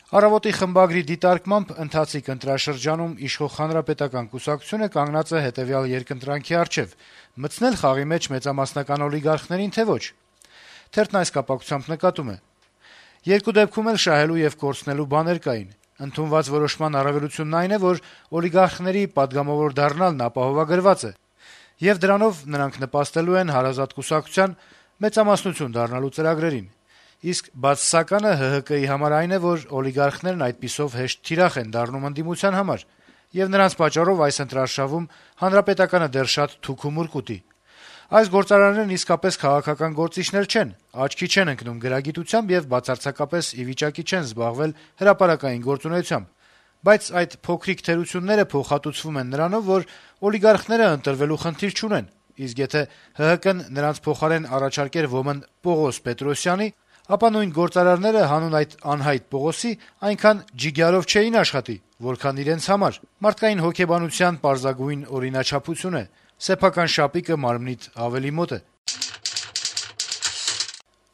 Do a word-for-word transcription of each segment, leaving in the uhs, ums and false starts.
Առավոտի խմբագրի դիտարկմամբ ընթացիկ ընտրաշրջանում իշխող Հանրապետական կուսակցությունը կանգնած է հետեւյալ երկընտրանքի առջեւ՝ մտցնել խաղի մեջ մեծամասնական օլիգարխներին, թե ոչ։ Թերթն այս կապակցությամբ նկատում է. - Երկու դեպքում էլ շահելու եւ կորցնելու բաներ կային։ Ընդունված որոշման առավելությունն այն է, որ օլիգարխների падգամավոր դառնալն ապահովագրված է, եւ դրանով նրանք նպաստելու են հարազատ կուսակցության մեծամասնություն դառնալու ծրագրերին։ Իսկ բացասականը ՀՀԿ-ի համար այն է, որ օլիգարխներն այդպիսով հեշտ թիրախ են դառնում ընդդիմության համար, եւ նրանց պատճառով այս ընտրարշավում Հանրապետականը դեռ շատ թուք ու մուրկ ուտի։ Այս գործարաններն իսկապես քաղաքական գործիչներ չեն, աչքի չեն ընկնում գրագիտությամբ եւ բացարձակապես ի վիճակի չեն զբաղվել հրապարակային գործունեությամբ։ Բայց այդ փոքրիկ թերությունները փոխհատուցվում են նրանով, որ օլիգարխները ընտրվելու խնդիր չունեն, իսկ եթե ՀՀԿ-ն նրանց փոխարեն առաջարկեր ոմն Պողոս Պետրոսյանի, ապա նույն գործարարները հանուն այդ անհայտ Պողոսի այնքան ջիգյարով չէին աշխատի, որքան իրենց համար։ Մարդկային հոգեբանության պարզագույն օրինաչափություն է. սեփական շապիկը մարմնիդ ավելի մոտ է։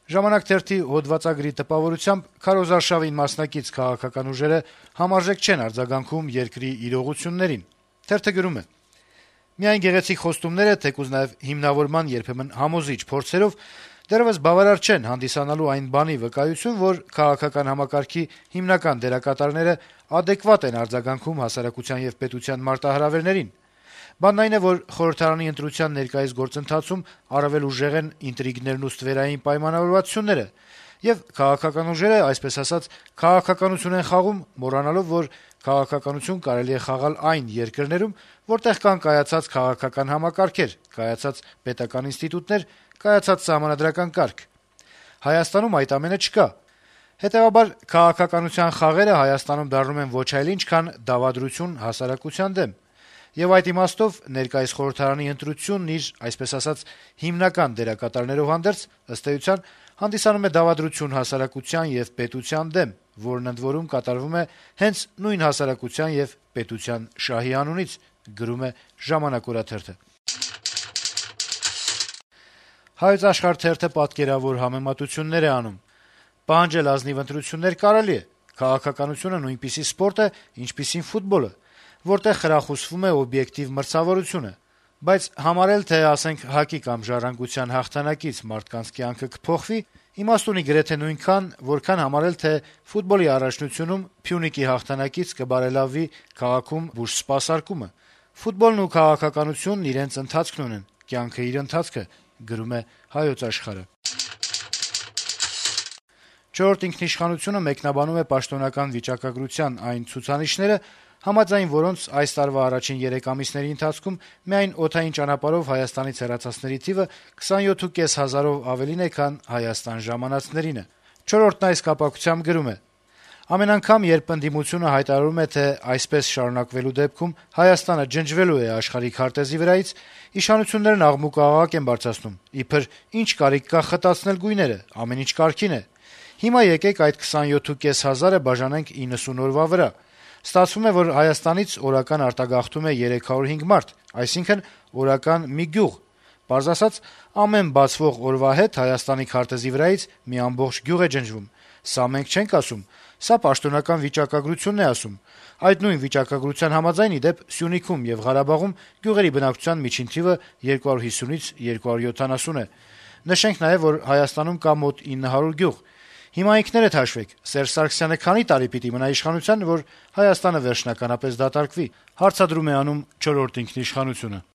«Ժամանակ» թերթի հոդվածագրի տպավորությամբ քարոզարշավին մասնակից քաղաքական ուժերը համարժեք չեն արձագանքում երկրի իրողություններին։ Թերթը գրում է. - «Միայն գեղեցիկ խոստումները, թեկուզ նաև հիմնավորման երբեմն համոզիչ փորձերով դեռեւս բավարար չեն հանդիսանալու այն բանի վկայություն, որ քաղաքական համակարգի հիմնական դերակատարները ադեկվատ են արձագանքում հասարակության եւ պետության մարտահրավերներին։ Բանն այն է, որ խորհրդարանի ընտրության ներկայիս գործընթացում առավել ուժեղ են ինտրիգներն ու ստվերային պայմանավորվածությունները, եւ քաղաքական ուժերը, այսպես ասած, քաղաքականություն են խաղում, մոռանալով, որ քաղաքականություն կարելի է խաղալ այն երկրներում, որտեղ կան կայացած քաղաքական համակարգեր, կայացած պետական ինստիտուտներ, կայացած սահմանադրական կարգ։ Հայաստանում այդ ամենը չկա։ Հետեւաբար քաղաքականության խաղերը Հայաստանում դառնում են ոչ այլ ինչ, քան դավադրություն հասարակության դեմ։ Եվ այդ իմաստով ներկայիս խորհրդարանի ընտրությունն իր, այսպես ասած, հիմնական դերակատարներով հանդերձ, ըստ էության, հանդիսանում է դավադրություն հասարակության եւ պետության դեմ, որն ընդ որում կատարվում է հենց նույն հասարակության եւ պետության շահի անունից», գրում է «Ժամանակ» օրաթերթը։ «Հայոց Աշխարհ» թերթը պատկերավոր համեմատություններ է անում. - «Պահանջել ազնիվ ընտրություններ կարելի է, քաղաքականությունը նույնպիսի սպորտ է, ինչպիսին ֆուտբոլը, որտեղ խրախուսվում է օբյեկտիվ մրցավորությունը, բայց համարել, թե ասենք ՀԱԿ-ի կամ «Ժառանգության» հաղթանակից մարդկանց կյանքը կփոխվի, իմաստ ունի գրեթե նույնքան, որքան համարել, թե ֆուտբոլի առաջնությունում Փյունիկի հաղթանակից կբարելավվի քաղաքում բուժսպասարկումը։ Ֆուտբոլն ու քաղաքականությունն իրենց ընթացքն ունեն, կյանքը իր ընթացքը», գրում է «Հայոց Աշխարհ»-ը։ «Չորրորդ ինքնիշխանություն»-ը մեկնաբանում է պաշտոնական վիճակագրության այն ցուցանիշները, համաձայն որոնց այս տարվա առաջին երեք ամիսների ընթացքում միայն օդային ճանապարհով Հայաստանից հեռացածների թիվը քսանյոթ հազար պինսյով ավելին է, քան Հայաստան ժամանածներինը։ «Չորրորդն» այս կապակցությամբ գրում է. - «Ամեն անգամ, երբ ընդդիմությունը հայտարարում է, թե այսպես շարունակվելու դեպքում Հայաստանը ջնջվելու է աշխարհի քարտեզի վրայից, իշխանություններն աղմուկ-աղաղակ են բարձրացնում, իբր ինչ կարիք կա խտացնել գույները, ամեն ինչ կարգին է։ Հիմա եկեք այդ քսանյոթ հազար պինսյանը բաժանենք իննսուն օրվա վրա։ Ստացվում է, որ Հայաստանից օրական արտագաղթում է երեք հարյուր հինգ մարդ, այսինքն օրական մի գյուղ։ Պարզ ասած, ամեն բացվող օրվա հետ Հայաստանի քարտեզի վրայից մի ամբողջ գյուղ է ջնջվում։ Սա մենք չենք ասում, սա պաշտոնական վիճակագրությունն է ասում։ Այդ նույն վիճակագրության համաձայն, ի դեպ, Սյունիքում եւ Ղարաբաղում գյուղերի բնակչության միջին թիվը երկու հարյուր հիսունից երկու հարյուր յոթանասուն է։ Նշենք նաեւ, որ Հայաստանում կա մոտ ինը հարյուր գյուղ։ Հիմա ինքներդ հաշվեք, Սերժ Սարգսյանը քանի տարի պիտի մնա իշխանության, որ Հայաստանը վերջնականապես դատարկվի», հարցադրում է անում «Չորրորդ ինքնիշխանություն»-ը։